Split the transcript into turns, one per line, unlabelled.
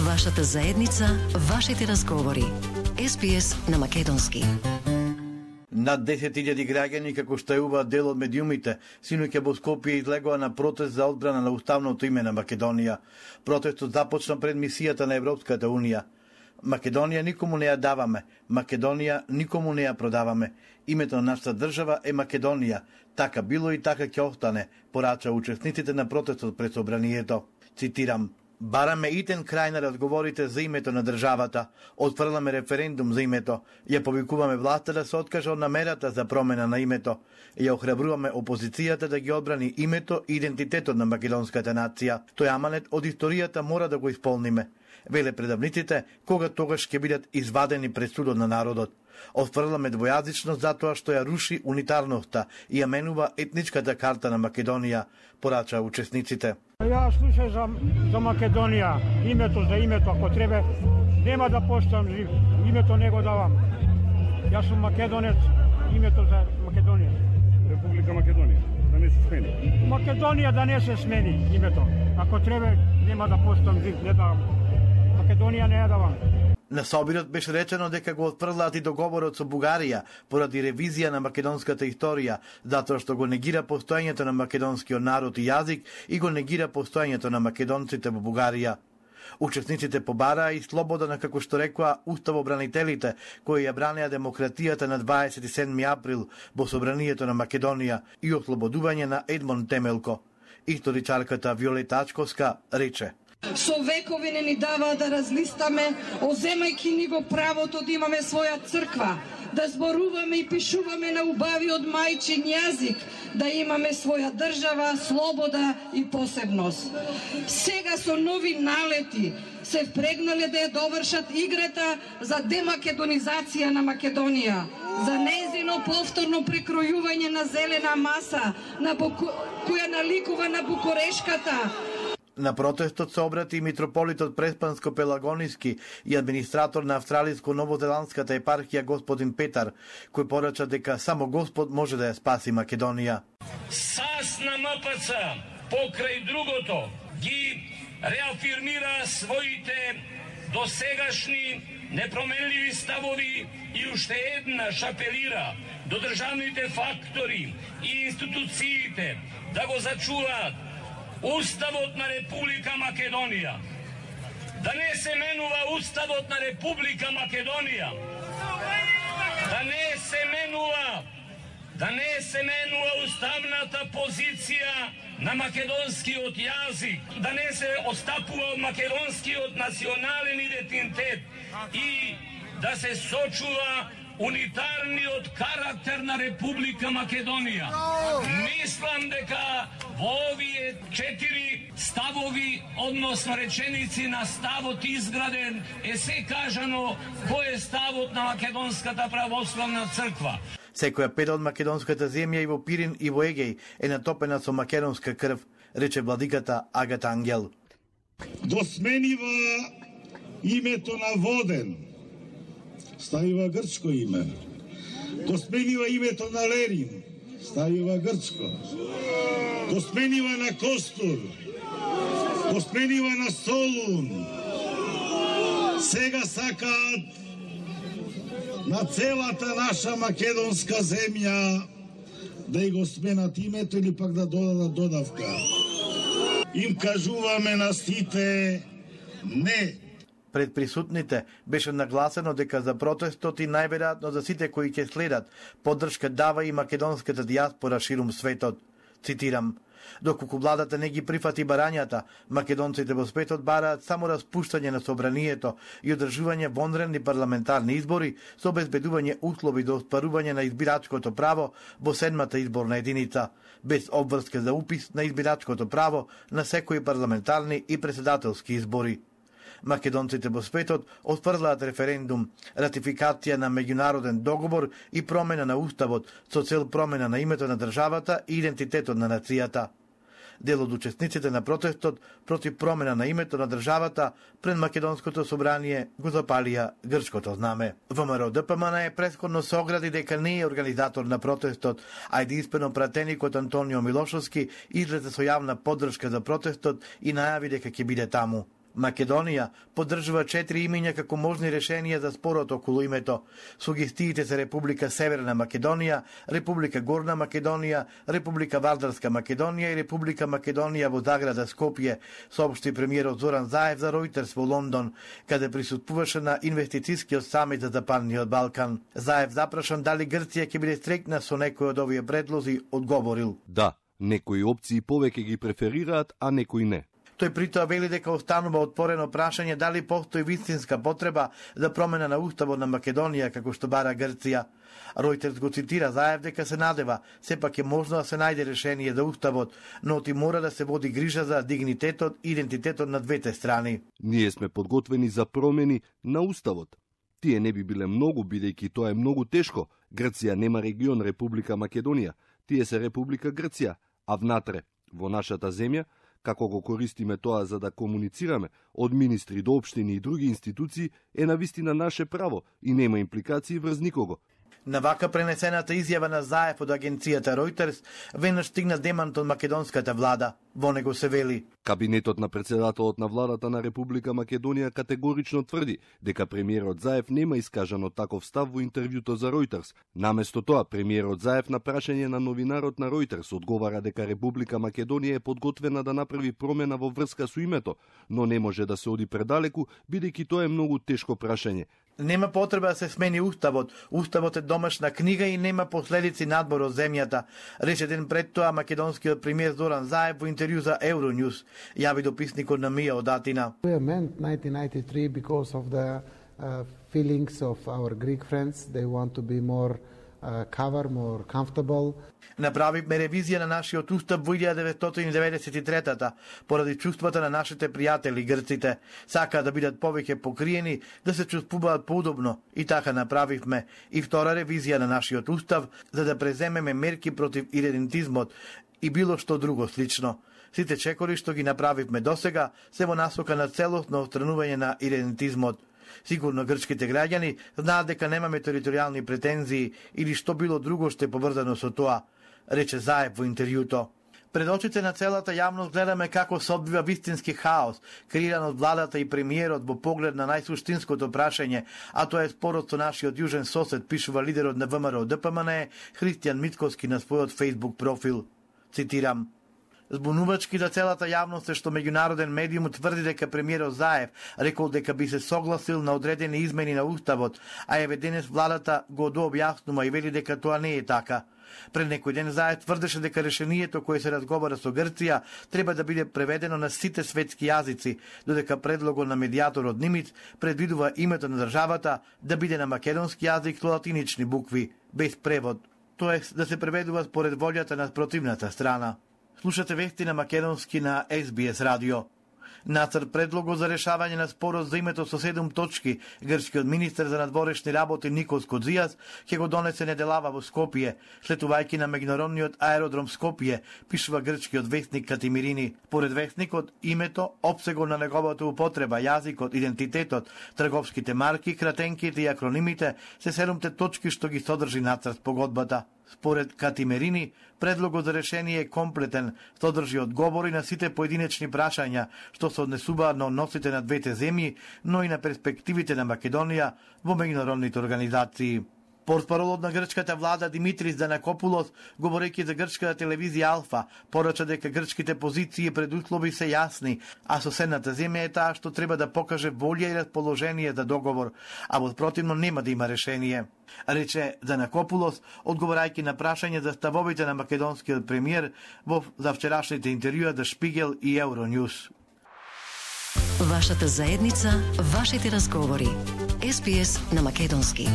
Вашата заедница, вашите разговори. СПС на македонски.
Над 10.000 граѓани, како што е ува дел од медиумите, синоќа во Скопје излегоа на протест за одбрана на уставното име на Македонија. Протестот започна пред мисијата на Европската Унија. Македонија никому не ја даваме, Македонија никому не ја продаваме. Името на нашата држава е Македонија. Така било и така ќе остане, порача учесниците на протестот пред собранието. Цитирам: бараме итен крај на разговорите за името на државата, отфрламе референдум за името, ја повикуваме власта да се откаже од намерата за промена на името, ја охрабруваме опозицијата да ги одбрани името и идентитетот на македонската нација. Тој аманет од историјата мора да го исполниме, веле предавниците, кога тогаш ќе бидат извадени пред судот на народот. Отфрламе двојазичност затоа што ја руши унитарноста и ја менува етничката карта на Македонија, порача учесниците.
Ја слушам за Македонија, името, ако треба, нема да поштам жив, името не го давам. Јас сум македонец, името за Македонија.
Република Македонија, да не се смени.
Македонија да не се смени името. Ако треба, нема да поштам жив, не давам. Македонија не ја давам.
На собирот беше речено дека го отфрлаат и договорот со Бугарија поради ревизија на македонската историја, затоа што го негира постоењето на македонскиот народ и јазик и го негира постоењето на македонците во Бугарија. Учесниците побараа и слобода на, како што рекоа, уставобранителите кои ја бранеа демократијата на 27 април во собранието на Македонија и ослободување на Едмон Темелко. Историчарката Виолета Ачковска рече:
со векови не ни даваа да разлистаме, оземајќи ни го правото да имаме своја црква, да зборуваме и пишуваме на убавиот мајчин јазик, да имаме своја држава, слобода и посебност. Сега со нови налети се впрегнале да ја довршат играта за демакедонизација на Македонија, за нејзино повторно прекројување на зелена маса, која наликува на Букурешката.
На протестот се обрати и митрополитот Преспанско-Пелагониски и администратор на австралиско-новозеландската епархија господин Петар, кој порача дека само Господ може да ја спаси Македонија.
САС на МПЦ, покрај другото, ги реафирмира своите досегашни непроменливи ставови и уште еднаш апелира до државните фактори и институциите да го зачуваат Уставот на Република Македонија. Да не се менува Уставот на Република Македонија. Да не се менува уставната позиција на македонскиот јазик. Да не се отстапува македонскиот национален идентитет и да се сочува унитарниот карактер на Република Македонија. Мислам дека во овие 4 ставови, односно реченици на ставот изграден, е се кажано кој е ставот на Македонската православна црква.
Секоја педа од македонската земја и во Пирин и во Егеј е натопена со македонска крв, рече владиката Агата Ангел.
Го сменива името на Воден, ставива грчко име. Го сменива името на Ленин, ставива грчко. Го сменива на Костур, го сменива на Солун. Сега сакаат на целата наша македонска земја да и го сменат името или пак да додадат додавка. Им кажуваме на сите не.
Пред присутните беше нагласено дека за протестот и најверојатно за сите кои ќе следат поддршка дава и македонската дијаспора ширум светот. Цитирам: доколку владата не ги прифати барањата, македонците во светот бараат само распуштање на собранието и одржување вонредни парламентарни избори со обезбедување услови за остварување на избирачкото право во 7-та изборна единица, без обврска за упис на избирачкото право на секои парламентарни и председателски избори. Македонците во светот отфрлаат референдум, ратификација на меѓународен договор и промена на уставот со цел промена на името на државата и идентитетот на нацијата. Дел од учесниците на протестот против промена на името на државата пред Македонското собрание го запалија грчкото знаме. ВМРО ДПМН е претходно се огради дека не е организатор на протестот, а единствено пратеникот Антонио Милошовски излезе со јавна поддршка за протестот и најави дека ќе биде таму. Македонија поддржува 4 имења како можни решенија за спорот околу името. Сугестиите се Република Северна Македонија, Република Горна Македонија, Република Вардарска Македонија и Република Македонија во Заграда Скопје, соопшти премиерот Зоран Заев за Ројтерс во Лондон, каде присуствуваше на инвестицискиот самит за Западниот Балкан. Заев запрашан дали Грција ќе биде стрекна со некој од овие предлози, одговорил:
Да, некои опции повеќе ги преферираат, а некои не.
Тој притоа вели дека останува отворено прашање дали постои вистинска потреба за промена на уставот на Македонија како што бара Грција. Ројтерс го цитира Заев дека се надева сепак е можно да се најде решение за уставот, но ти мора да се води грижа за дигнитетот и идентитетот на двете страни.
Ние сме подготвени за промени на уставот. Тие не би биле многу, бидејќи тоа е многу тешко. Грција нема регион Република Македонија, тие се Република Грција, а внатре, во нашата земја, како го користиме тоа за да комуницираме од министри до општини и други институции, е навистина наше право и нема импликации врз никого.
На вака пренесената изјава на Заев од агенцијата Ројтерс веднаш стигна демант од македонската влада. Во него се вели:
Кабинетот на председателот на владата на Република Македонија категорично тврди дека премиерот Заев нема искажано таков став во интервјуто за Ројтерс. Наместо тоа, премиерот Заев на прашање на новинарот на Ројтерс одговара дека Република Македонија е подготвена да направи промена во врска со името, но не може да се оди предалеку, бидејќи тоа е многу тешко прашање.
Нема потреба да се смени уставот. Уставот е домашна книга и нема последици надбор од земјата, рече ден пред тоа македонскиот премиер Зоран Заев во интервју за Euronews, јави дописникот на Мија од Атина.
We meant 1993 because of the feelings of our Greek friends. They want to be more cover, more comfortable.
Направивме ревизија на нашиот устав во 1993-та, поради чувствата на нашите пријатели грците. Сакаат да бидат повеќе покриени, да се чувствуваат поудобно, и така направивме и втора ревизија на нашиот устав, за да преземеме мерки против идентизмот и било што друго слично. Сите чекори што ги направивме досега се во насока на целосно отстранување на идентизмот. Сигурно грчките граѓани знаат дека немаме територијални претензии или што било друго што е поврзано со тоа, рече Заев во интервјуто. Пред очите на целата јавност гледаме како се одвива вистински хаос, креиран од владата и премиерот во поглед на најсуштинското прашање, а тоа е спорот со нашиот јужен сосед, пишува лидерот на ВМРО ДПМН Христијан Митковски на својот Facebook профил. Цитирам: Збунувачки за целата јавност е што меѓународен медиум тврди дека премиерот Заев рекол дека би се согласил на одредени измени на уставот, а еве денес владата го дообјаснува и вели дека тоа не е така. Пред некој ден Заев тврдеше дека решението кое се разговара со Грција треба да биде преведено на сите светски јазици, додека предлогот на медијаторот Нимиц предвидува името на државата да биде на македонски јазик со латинични букви, без превод, тоест да се преведува според волјата на противната страна. Слушате вести на македонски на SBS радио. Нацрт предлогот за решавање на спорот за името со 7 точки, грчкиот министер за надворешни работи Никос Кодзијас ќе го донесе неделава во Скопје, слетувајќи на меѓународниот аеродром Скопје, пишува грчкиот вестник Катимирини. Поред вестникот, името, опсегот на неговата употреба, јазикот, идентитетот, трговските марки, кратенките и акронимите се 7 точки што ги содржи нацрт погодбата. Според Катимерини, предлогот за решение е комплетен, содржи одговори на сите поединечни прашања што се однесуваат на односите на двете земји, но и на перспективите на Македонија во меѓународните организации. Портпаролот на грчката влада Димитрис Данакопулос, говорејќи за грчката телевизија Алфа, порача дека грчките позиции и предуслови се јасни, а соседната земја е таа што треба да покаже волја и расположение за договор, а во противно нема да има решение. Рече Данакопулос, одговорајќи на прашање за ставовите на македонскиот премиер во завчерашните интервјуа за Шпигел и Euronews.
Вашата заедница, вашите разговори. SBS на македонски.